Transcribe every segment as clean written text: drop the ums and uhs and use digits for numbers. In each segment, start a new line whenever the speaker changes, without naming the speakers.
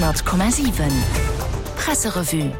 100,7 Presserevue.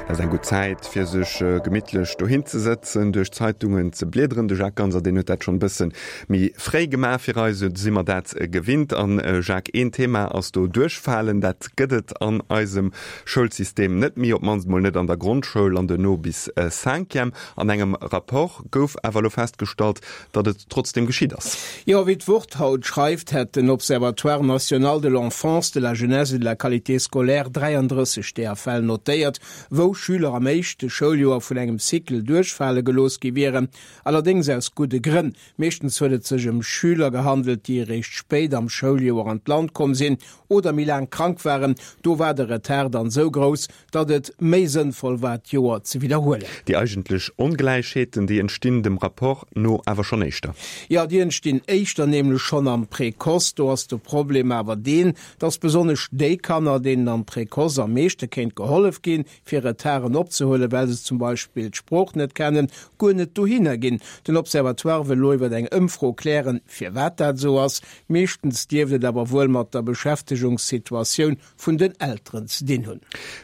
Dat ass eng gutt Zäit, fir sech gemittlech dohin ze sëtzen, duerch d'Zeitungen ze bliederen. De Jacques Ganser, deen huet dat schonn e bësse méi fréi gemaach fir eis, esou si mer dat gewinnt. An Jacques, een Thema ass do Duerchfalen. Dat gëtt et an eisem Schoulsystem net méi, op d'mannst mol net an der Grondschoul an duerno bis Cinquième. An engem Rapport gouf awer elo festgestallt, datt et trotzdem geschitt ass.
Jo, wéi d'Wort haut schreift, hätt den Observatoire national de l'enfance, de la jeunesse et de la qualité scolaire 33 deeër Fäll notéiert, wou Schüler am éischte Schouljoer vun engem Cycle duerchfale gelooss gi wieren. Allerdéngs aus gudde Grënn. Meeschtens huet et sech ëm Schüler gehandelt, déi eréischt spéit am Schouljoer an d'Land komm sinn oder méi laang krank waren. Do war de Retard dann esou grouss, datt et méi sënnvoll war, d'Joer ze widderhuelen.
Déi eigentlech Ongläichheeten, déi entstinn dem Rapport no awer schonn éischter.
Jo, déi entstinn éischter, nämlech schonn am Précoce. Do ass de Problem awer deen, datt besonnesch déi Kanner, deenen am Précoce am meeschte kéint gehollef ginn, fir Retarden opzehuelen, well se zum Beispill d'Sprooch net kennen, guer net dohinner ginn. Den Observatoire wëll elo iwwer eng Ëmfro klären, firwat dat esou ass. Meeschtens dierft et awer wuel mat der Beschäftegungssituatioun vun den Elteren ze dinn hunn.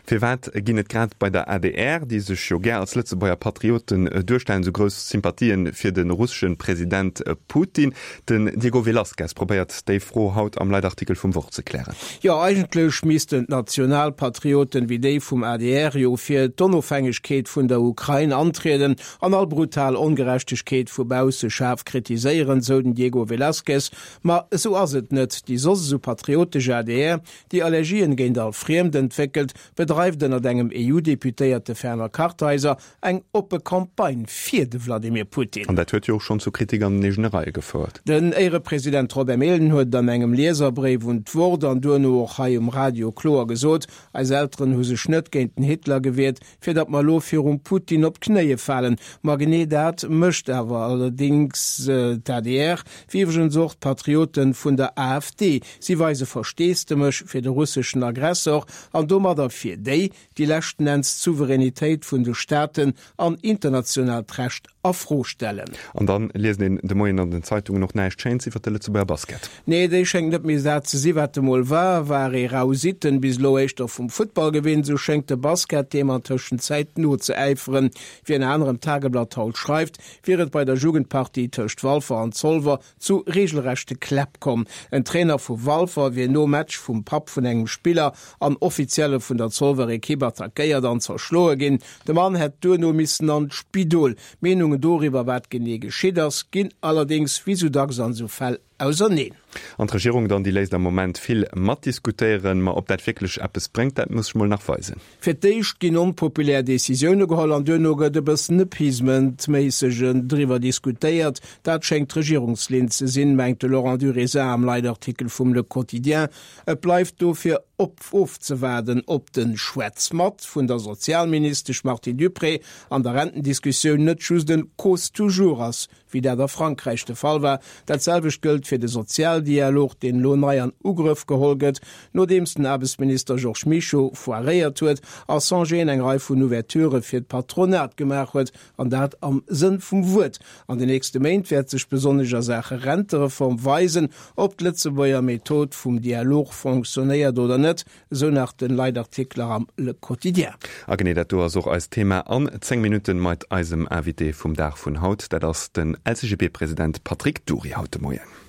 Firwat ginn et grad bei der adr, déi sech jo gär als Lëtzebuerger Patrioten duerstellen, esou grouss Sympathien fir de russesche President Putin? Den Diego Velazquez probéiert déi Fro haut am Leitartikel vum Wort ze klären.
Jo, eigentlech missten d'Nationalpatrioten wéi déi vum adr jo fir d'Onofhängegkeet vun der Ukrain antrieden an all brutal Ongerechtegkeet vu bausse schaarf kritiséieren, sou den Diego Velazquez. Ma esou ass et net. Déi soss esou patriotesch adr, déi Allergien géint all Friemd entwéckelt, bedreift ënnert engem EU-Deputéierte Werner Kartheiser eng oppe Campagne fir de Vladimir Putin.
An dat huet jo och schonn zu Kritik an den eegene Reie gefouert.
Den Éierepresident Robert Mehlen huet et an engem Lieserbréif un d'Wort an duerno och hei um Radio kloer gesot, Eis Elteren hu sech net géint den Hitler gewiert, fir datt mer elo virum Putin op d'Knéie falen. Ma genee dat mécht awer allerdéngs d'ADR, wéi iwwregens och d'Patrioten vun der AfD. Si weise Versteesdemech fir de russeschen Aggressor an domadder fir déi, déi leschten Enns d'Souveränitéit vun de Staaten an internationaalt Recht a Fro stellen.
An dann liest een de Moien an den Zeitungen och näischt Schéins iwwer de Lëtzebuerger Basket.
Nee, déi schéngt net méi dat ze si wat e mol war. War ee rau Sitten bis elo éischter vum Futtball gewinnt, esou schéngt de Basket deem an Tëschenzäit nozeäiferen. Wéi ënner anerem d'Tageblatt haut schreift, wier et bei der Jugendpartie tëscht Walfer an Zolwer zu regelrechte Kläpp komm. En Trainer vu Walfer wier nom Match vum Papp vun engem Spiller an Offizielle vun der Zolwer Ekipp attackéiert an zerschloe ginn. De Mann hätt duerno missen an d'Spidol. D'Meenungen doriwwer, wat genee geschitt ass, ginn allerdéngs, wéi sou dacks an esou Fäll, auserneen.
An d'Regierung dann, déi léisst am Moment vill matdiskutéieren. Ma ob dat wierklech eppes bréngt, dat muss sech mol nach weisen.
Fir d'éischt ginn onpopulär Decisioune geholl an duerno gëtt e bëssen appeasement-méissege driwwer diskutéiert. Dat schéngt d'Regierungslinn ze sinn, mengt de Laurent Durisin am Leitartikel vum Le Quotidien. Et bleift dofir op ofzewaarden, ob de Schwätz-mat vun der Sozialministesch Martine Dupré an der Rentendiskussioun net just en cause toujours ass, wéi dat a Frankräich de Fall war. Dat selwecht gëllt fir de Sozialdialog, deen elo nei an Ugrëff geholl gëtt, nodeems den Aarbechtsminister Georges Mischo foiréiert huet a Songeen eng Rei vun Ouverturë fir d'Patronat gemaach huet, an dat am Sënn vum Wuert. An den nächste Méint wäert sech besonnesch a Saache Rentereform weisen, ob d'Lëtzebuerger Method vum Dialog fonctionnéiert oder net. Esou nach den Leitartikler am Le Quotidien.
A genee dat do ass och eist Thema an 10 Minutten mait eisem Invité vum Dag vun haut. Dat ass den LCGB-President Patrick Dury haut de Moien.